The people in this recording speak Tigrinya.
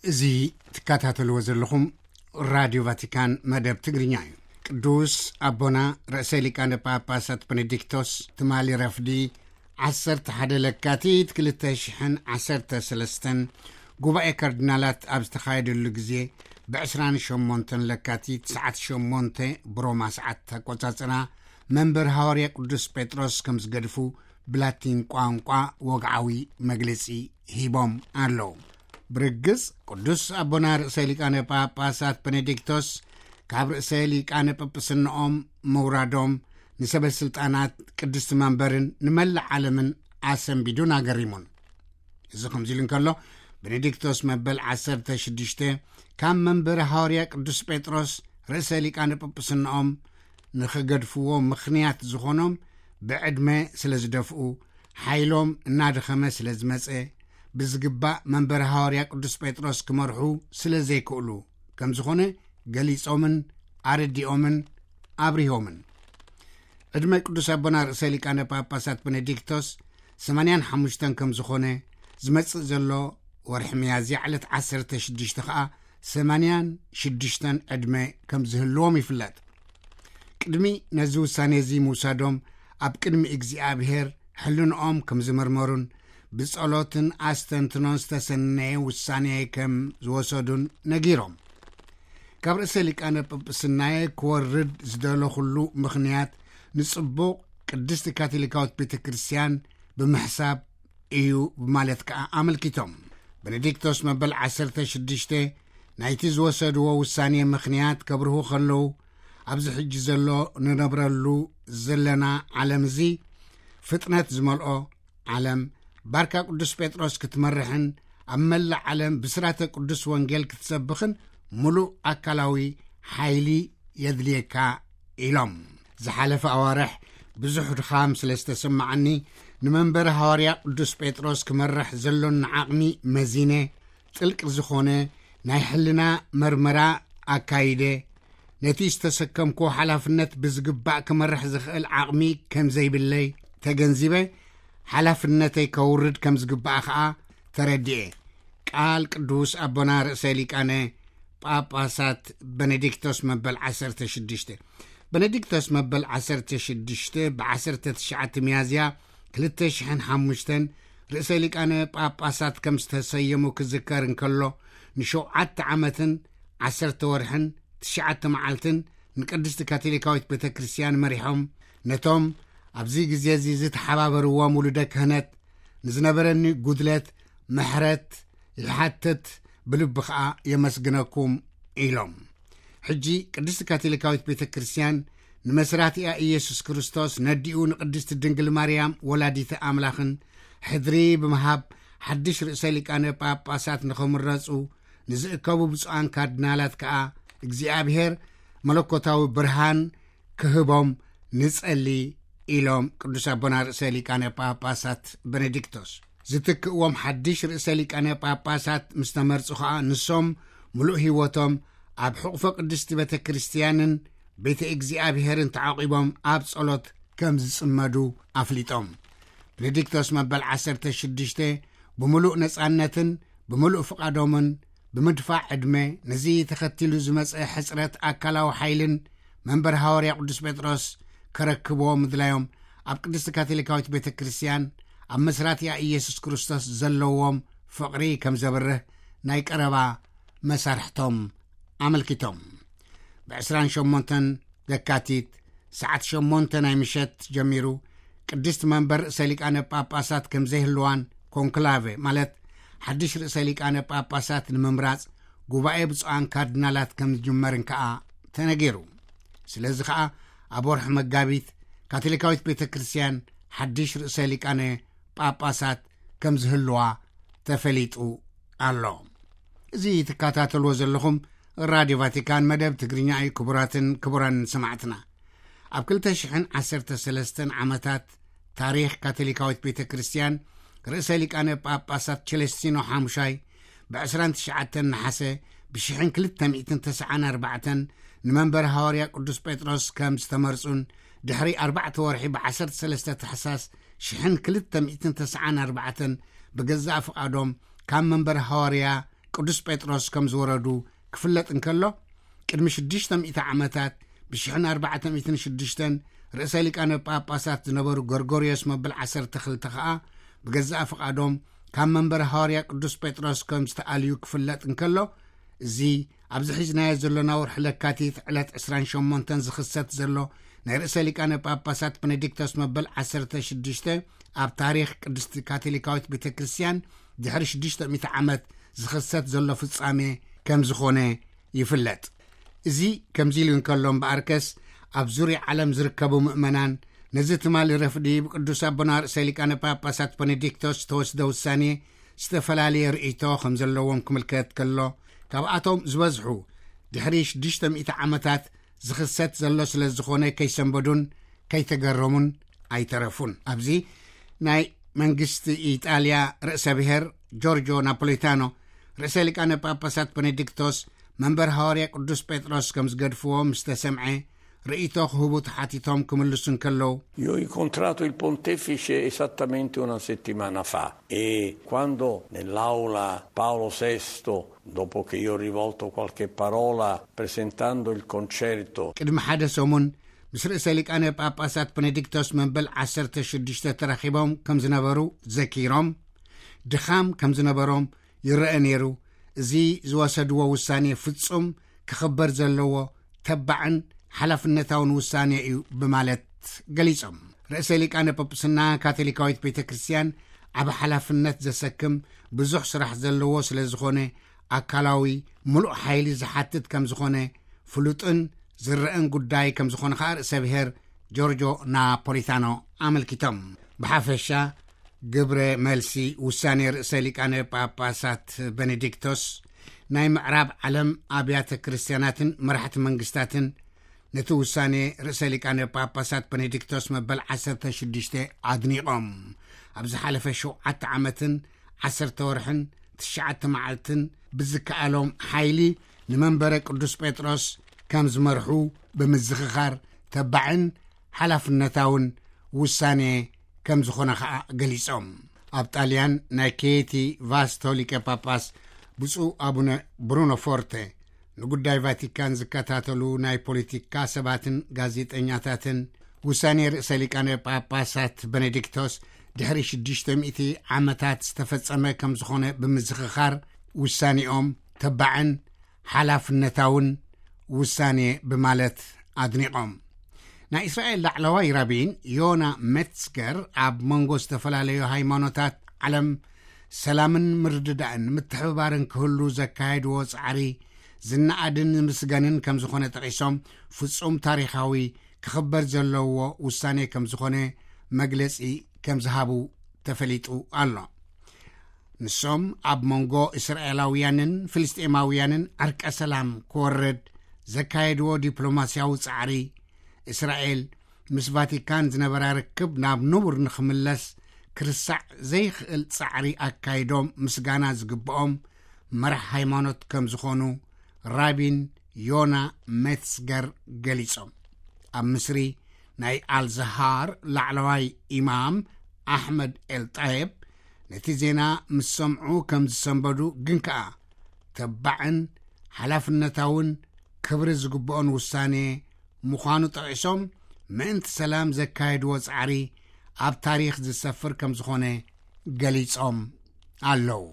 እዚ ትከታተልዎ ዘለኹም ራድዮ ቫቲካን መደብ ትግርኛ እዩ። ቅዱስ ኣቦና ርእሰ ሊቃነ ጳጳሳት ቤኔዲክቶስ ትማሊ ረፍዲ ዓሰርተ ሓደ ለካቲት ክልተ ሽሕን ዓሰርተ ሰለስተን ጉባኤ ካርዲናላት ኣብ ዝተኻየደሉ ግዜ፣ ብ ዕስራን ሸሞንተን ለካቲት ሰዓት ሸሞንተ ብሮማ ሰዓት ኣቆጻጽራ መንበር ሃዋርያ ቅዱስ ጴጥሮስ ከም ዝገድፉ ብላቲን ቋንቋ ወግዓዊ መግለጺ ሂቦም ኣለዉ። ብርግጽ ቅዱስ ኣቦና ርእሰ ሊቃነ ጳጳሳት ቤኔዲክቶስ ካብ ርእሰ ሊቃነ ጳጳስነኦም ምውራዶም ንሰበ ስልጣናት ቅድስቲ መንበርን ንመላእ ዓለምን ኣሰንቢዱን ኣገሪሙን። እዚ ከምዚ ኢሉ እንከሎ፣ ቤኔዲክቶስ መበል ዓሰርተ ሽዱሽተ ካብ መንበሪ ሃዋርያ ቅዱስ ጴጥሮስ ርእሰ ሊቃነ ጳጳስነኦም ንኽገድፍዎ ምኽንያት ዝኾኖም፣ ብዕድመ ስለ ዝደፍኡ፣ ሓይሎም እናደኸመ ስለ ዝመጸ፣ ብዝግባእ መንበሪ ሃዋርያ ቅዱስ ጴጥሮስ ክመርሑ ስለ ዘይክእሉ ከም ዝኾነ ገሊጾምን ኣረዲኦምን ኣብሪሆምን። ዕድመ ቅዱስ ኣቦና ርእሰ ሊቃነ ጳጳሳት ቤኔዲክቶስ ሰማንያን ሓሙሽተን ከም ዝኾነ፣ ዝመጽእ ዘሎ ወርሒ ሚያዝያ ዕለት ዓሰርተ ሽዱሽተ ኸኣ ሰማንያን ሽዱሽተን ዕድመ ከም ዝህልዎም ይፍለጥ። ቅድሚ ነዚ ውሳኔ እዚ ምውሳዶም፣ ኣብ ቅድሚ እግዚኣብሔር ሕልንኦም ከም ዝመርመሩን ብጸሎትን ኣስተንትኖን ዝተሰነየ ውሳኔ ከም ዝወሰዱን ነጊሮም። ካብ ርእሰ ሊቃነ ጳጳስናየ ክወርድ ዝደለኹሉ ምኽንያት ንጽቡቕ ቅድስቲ ካቶሊካዊት ቤተ ክርስቲያን ብምሕሳብ እዩ ብማለት ከኣ ኣመልኪቶም። ቤኔዲክቶስ መበል ዓሰርተ ሽዱሽተ ናይቲ ዝወሰድዎ ውሳኔ ምኽንያት ከብርሁ ከለዉ፣ ኣብዚ ሕጂ ዘሎ ንነብረሉ ዘለና ዓለም እዚ ፍጥነት ዝመልኦ ዓለም፣ ባርካ ቅዱስ ጴጥሮስ ክትመርሕን ኣብ መላእ ዓለም ብስራተ ቅዱስ ወንጌል ክትሰብኽን ምሉእ ኣካላዊ ሓይሊ የድልየካ ኢሎም። ዝሓለፈ ኣዋርሕ ብዙሕ ድኻም ስለ ዝተሰማዓኒ፣ ንመንበሪ ሃዋርያ ቅዱስ ጴጥሮስ ክመርሕ ዘሎኒ ዓቕሚ መዚነ፣ ጥልቂ ዝኾነ ናይ ሕልና መርመራ ኣካይደ፣ ነቲ ዝተሰከምኩ ሓላፍነት ብዝግባእ ክመርሕ ዝኽእል ዓቕሚ ከም ዘይብለይ ተገንዚበ፣ ሓላፍነተይ ከውርድ ከም ዝግባእ ኸኣ ተረዲኤ። ቃል ቅዱስ ኣቦና ርእሰ ሊቃነ ጳጳሳት ቤኔዲክቶስ መበል ዓሰርተ ሽዱሽተ። ቤኔዲክቶስ መበል ዓሰርተ ሽዱሽተ ብ ዓሰርተ ትሽዓተ ሚያዝያ ክልተ ሽሕን ሓሙሽተን ርእሰ ሊቃነ ጳጳሳት ከም ዝተሰየሙ ክዝከር እንከሎ፣ ንሸውዓተ ዓመትን ዓሰርተ ወርሕን ትሽዓተ መዓልትን ንቅድስቲ ካቶሊካዊት ቤተ ክርስቲያን መሪሖም፣ ነቶም ኣብዚ ግዜ እዚ ዝተሓባበርዎም ውሉደ ክህነት ንዝነበረኒ ጉድለት ምሕረት ይሓትት፣ ብልቢ ኸኣ የመስግነኩም ኢሎም። ሕጂ ቅድስቲ ካቶሊካዊት ቤተ ክርስቲያን ንመስራቲኣ ኢየሱስ ክርስቶስ ነዲኡ ንቅድስቲ ድንግል ማርያም ወላዲተ ኣምላኽን ሕድሪ ብምሃብ ሓድሽ ርእሰ ሊቃነ ጳጳሳት ንኽምረጹ ንዝእከቡ ብፁዓን ካርዲናላት ከኣ እግዚኣብሔር መለኮታዊ ብርሃን ክህቦም ንጸሊ ኢሎም ቅዱስ ኣቦና ርእሰ ሊቃነ ጳጳሳት ቤኔዲክቶስ። ዝትክእዎም ሓድሽ ርእሰ ሊቃነ ጳጳሳት ምስ ተመርጹ ኸኣ ንሶም ምሉእ ህይወቶም ኣብ ሕቑፎ ቅድስቲ ቤተ ክርስቲያንን ቤተ እግዚኣብሔርን ተዓቂቦም ኣብ ጸሎት ከም ዝጽመዱ ኣፍሊጦም። ቤኔዲክቶስ መበል ዓሰርተ ሽዱሽተ ብምሉእ ነጻነትን ብምሉእ ፍቓዶምን ብምድፋዕ ዕድመ ነዚ ተኸቲሉ ዝመጸ ሕጽረት ኣካላዊ ሓይልን መንበር ሃዋርያ ቅዱስ ጴጥሮስ ከረክብዎ ምድላዮም ኣብ ቅድስቲ ካቶሊካዊት ቤተ ክርስቲያን ኣብ መስራቲያ ኢየሱስ ክርስቶስ ዘለዎም ፍቕሪ ከም ዘብርህ ናይ ቀረባ መሳርሕቶም ኣመልኪቶም። ብ ዕስራን ሸሞንተን ለካቲት ሰዓት ሸሞንተ ናይ ምሸት ጀሚሩ ቅድስቲ መንበር ርእሰ ሊቃነ ጳጳሳት ከም ዘይህልዋን ኮንክላቨ ማለት ሓድሽ ርእሰ ሊቃነ ጳጳሳት ንምምራጽ ጉባኤ ብፁዓን ካርዲናላት ከም ዝጅመርን ከኣ ተነጊሩ። ስለዚ ኸኣ ኣብ ወርሒ መጋቢት ካቶሊካዊት ቤተ ክርስቲያን ሓድሽ ርእሰ ሊቃነ ጳጳሳት ከም ዝህልዋ ተፈሊጡ ኣሎ። እዚ ትከታተልዎ ዘለኹም ራድዮ ቫቲካን መደብ ትግርኛ እዩ። ክቡራትን ክቡራን ሰማዕትና፣ ኣብ ክልተ ሽሕን ዓሰርተ ሰለስተን ዓመታት ታሪኽ ካቶሊካዊት ቤተ ክርስቲያን ርእሰ ሊቃነ ጳጳሳት ቸለስቲኖ ሓሙሻይ ብ ዕስራን ትሽዓተን ነሓሰ ብ ሽሕን ክልተ ሚእትን ተስዓን ኣርባዕተን ንመንበር ሃዋርያ ቅዱስ ጴጥሮስ ከም ዝተመርጹን ድሕሪ ኣርባዕተ ወርሒ ብ ዓሰርተ ሰለስተ ታሕሳስ ሽሕን ክልተ ሚእትን ተስዓን ኣርባዕተን ብገዛእ ፍቓዶም ካብ መንበር ሃዋርያ ቅዱስ ጴጥሮስ ከም ዝወረዱ ክፍለጥ እንከሎ፣ ቅድሚ ሽዱሽተ ሚእቲ ዓመታት፣ ብ ኣርባዕተ ሚእትን ሽዱሽተን፣ ርእሰ ሊቃነ ጳጳሳት ዝነበሩ ጎርጎርዮስ መበል ዓሰርተ ክልተ ከኣ ብገዛእ ፍቓዶም ካብ መንበረ ሃዋርያ ቅዱስ ጴጥሮስ ከም ዝተኣልዩ ክፍለጥ እንከሎ፣ እዚ ኣብዚ ሒዝናዮ ዘሎና ወርሒ ለካቲት ዕለት ዕስራን ሸሞንተን ዝኽሰት ዘሎ ናይ ርእሰ ሊቃነ ጳጳሳት ቤኔዲክቶስ መበል ዓሰርተ ሽዱሽተ ኣብ ታሪኽ ቅድስቲ ካቶሊካዊት ቤተ ክርስቲያን ድሕሪ ሽዱሽተ ሚእቲ ዓመት ዝኽሰት ዘሎ ፍጻሜ ከም ዝኾነ ይፍለጥ። እዚ ከምዚ ኢሉ እንከሎ እምበኣርከስ፣ ኣብ ዙርያ ዓለም ዝርከቡ ምእመናን ነዚ ትማሊ ረፍዲ ብቅዱስ ኣቦና ርእሰ ሊቃነ ጳጳሳት ቤኔዲክቶስ ዝተወስደ ውሳኔ ዝተፈላለየ ርእይቶ ከም ዘለዎም ክምልከት ከሎ፣ ካብኣቶም ዝበዝሑ ድሕሪ ሽዱሽተ ሚእቲ ዓመታት ዝኽሰት ዘሎ ስለ ዝኾነ ከይሰንበዱን ከይተገረሙን ኣይተረፉን። ኣብዚ ናይ መንግስቲ ኢጣልያ ርእሰ ብሔር ጆርጆ ናፖሊታኖ፣ ርእሰ ሊቃነ ጳጳሳት ቤኔዲክቶስ መንበር ሃዋርያ ቅዱስ ጴጥሮስ ከም ዝገድፍዎ ምስ ተሰምዐ፣ ርእይቶ ክህቡ ተሓቲቶም ክምልሱ እንከለዉ፣ Io ho incontrato il pontefice esattamente una settimana fa e quando nell'aula Paolo sesto, dopo che io ho rivolto qualche parola presentando il concerto, ቅድሚ ሓደ ሰሙን ምስ ርእሰ ሊቃነ ጳጳሳት ቤኔዲክቶስ መበል ዓሰርተ ሽዱሽተ ተራኺቦም ከም ዝነበሩ ዘኪሮም፣ ድኻም ከም ዝነበሮም ይረአ ነይሩ። እዚ ዝወሰድዎ ውሳኔ ፍጹም ክኽበር ዘለዎ ተባዕን ሓላፍነታውን ውሳኔ እዩ ብማለት ገሊጾም። ርእሰ ሊቃነ ጳጳስና ካቶሊካዊት ቤተ ክርስቲያን ዓቢ ሓላፍነት ዘሰክም ብዙሕ ስራሕ ዘለዎ ስለ ዝኾነ፣ ኣካላዊ ምሉእ ሓይሊ ዝሓትት ከም ዝኾነ ፍሉጥን ዝረአን ጉዳይ ከም ዝኾነ ከኣ ርእሰ ብሔር ጆርጆ ናፖሊታኖ ኣመልኪቶም። ብሓፈሻ፣ ግብረ መልሲ ውሳኔ ርእሰ ሊቃነ ጳጳሳት ቤኔዲክቶስ፣ ናይ ምዕራብ ዓለም ኣብያተ ክርስቲያናትን መራሕቲ መንግስታትን ነቲ ውሳኔ ርእሰ ሊቃነ ጳጳሳት ቤኔዲክቶስ መበል ዓሰርተ ሽዱሽተ ኣድኒቖም። ኣብ ዝሓለፈ ሸውዓተ ዓመትን ዓሰርተ ወርሕን ትሽዓተ መዓልትን ብዝከኣሎም ሓይሊ ንመንበረ ቅዱስ ጴጥሮስ ከም ዝመርሑ ብምዝኽኻር፣ ተባዕን ሓላፍነታውን ውሳኔ ከም ዝኾነ ኸኣ ገሊጾም። ኣብ ጣልያን ናይ ኬቲ ቫስቶ ሊቀ ጳጳስ ብፁዕ ኣቡነ ብሩኖ ፎርተ፣ ንጉዳይ ቫቲካን ዝከታተሉ ናይ ፖለቲካ ሰባትን ጋዜጠኛታትን፣ ውሳኔ ርእሰ ሊቃነ ጳጳሳት ቤኔዲክቶስ ድሕሪ ሽዱሽተ ሚእቲ ዓመታት ዝተፈጸመ ከም ዝኾነ ብምዝኽኻር፣ ውሳኔኦም ተባዕን ሓላፍነታውን ውሳኔ ብማለት ኣድኒቖም። ናይ እስራኤል ላዕለዋይ ራቢን ዮና ሜትስገር፣ ኣብ መንጎ ዝተፈላለዩ ሃይማኖታት ዓለም ሰላምን ምርድዳእን ምትሕብባርን ክህሉ ዘካየድዎ ጻዕሪ ዝነኣድን ዝምስገንን ከም ዝኾነ ጠቒሶም፣ ፍጹም ታሪኻዊ ክኽበር ዘለዎ ውሳኔ ከም ዝኾነ መግለጺ ከም ዝሃቡ ተፈሊጡ ኣሎ። ንሶም ኣብ መንጎ እስራኤላውያንን ፍልስጤማውያንን ዕርቀ ሰላም ክወርድ ዘካየድዎ ዲፕሎማስያዊ ጻዕሪ፣ እስራኤል ምስ ቫቲካን ዝነበራ ርክብ ናብ ንቡር ንኽምለስ ክርሳዕ ዘይኽእል ጻዕሪ ኣካይዶም ምስጋና ዝግብኦም መራሕ ሃይማኖት ከም ዝኾኑ ራቢን ዮና ሜትስገር ገሊጾም። ኣብ ምስሪ ናይ ኣልዛሃር ላዕለዋይ ኢማም ኣሕመድ ኤልጣየብ ነቲ ዜና ምስ ሰምዑ ከም ዝሰንበዱ፣ ግን ከኣ ተባዕን ሓላፍነታውን ክብሪ ዝግብኦን ውሳኔ ምዃኑ ጠቒሶም፣ ምእንቲ ሰላም ዘካየድዎ ጻዕሪ ኣብ ታሪኽ ዝሰፍር ከም ዝኾነ ገሊጾም ኣለዉ።